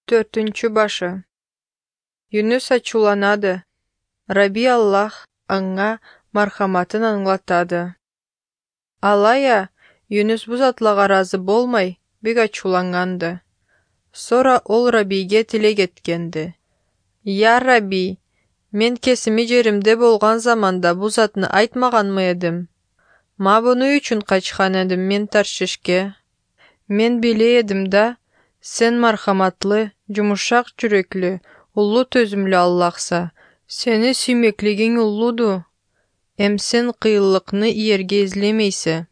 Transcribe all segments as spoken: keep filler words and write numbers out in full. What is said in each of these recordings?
Төртүнчү башы. Юнус ачууланады. Раби Аллах аңа мархаматын аңлатады. Алая Юнус бузатылага ыраазы болмай бек ачууланганды. Сора ол Рабиге тилек эткенди. Я Раби, мен кесими жеримде болгон заманда бул затны айтмаганмы эдим? Ма буну үчүн качкан эдим мен Таршишке. Мен биле эдим да, сен мархаматлы, жумушак жүрөклүү, улуу төзүмлүү Аллахса, сени сүймөклүгүң улууду. Эм сен кыйынлыкны ийерге излемейси.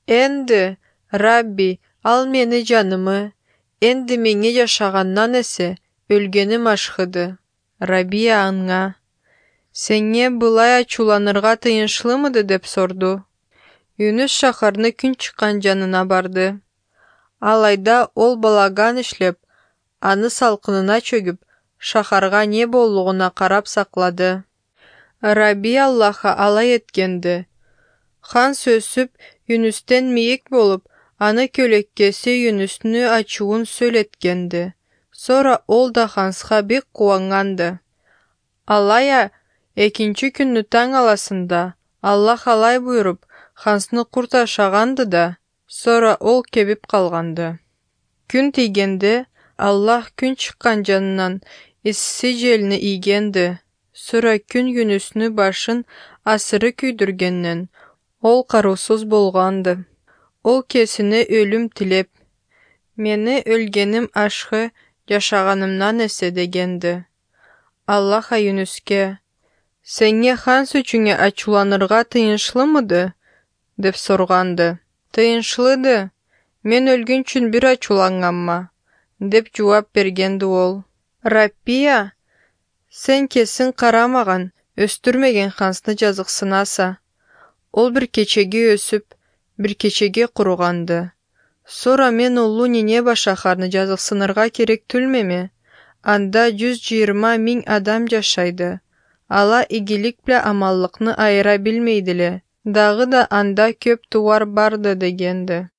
Энди, Рабби, ал мени жанымы, энди меңе жашагандан эсе өлгөнүм ашкыды. Рабия аңа: Сеңе былай ачууланырга тыйынчлымыды деп сорду. Юнус шаһарны күн чыккан жанына барды. Алайда ол балаган иштеп, аны салкынына чөгүп, шаһарга не болуугуна карап саклады. Раби Аллахка алай эткенди. Хан сөзсүп, Юнустен мийик болуп, аны көлөккөсү Юнусту ачуун сөйлөткенди. Сора ол да ханска бек кубанганды. Алая экинчи күндү таң аласында Аллах алай буйруп, хансны курт ашаганды да, сора ол кебип калганды. Күн тийгенде Аллах күн чыккан жанынан исси желни ийгенди. Сора күн Юнусту башын асыры күйдүргеннен ол кароосуз болгонду. Ол кесине өлүм тилеп, мени өлгөнүм ашкы, жашаганымдан эсе дегенди. Аллах Юнуске: Сеңе хан сөчүңө ачууланырга тыйынчлымыды? деп сорганды. Тыйынчлыды, мен өлгөн үчүн бир ачууланганма, деп жооп бергенди ол. Раппия, сен кесин карамаган, өстүрмөгөн хансны жазыксынаса. Ол бир кечеге өсүп, бир кечеге куруганды. Сора мен улуу Нинева шаһарны жазыксынырга керектүүлмеми? Анда жүз жыйырма миң адам жашайды. Ала игилик биле амаллыкны айыра билмейдиле. Дагы да анда көп тууар барды дегенди.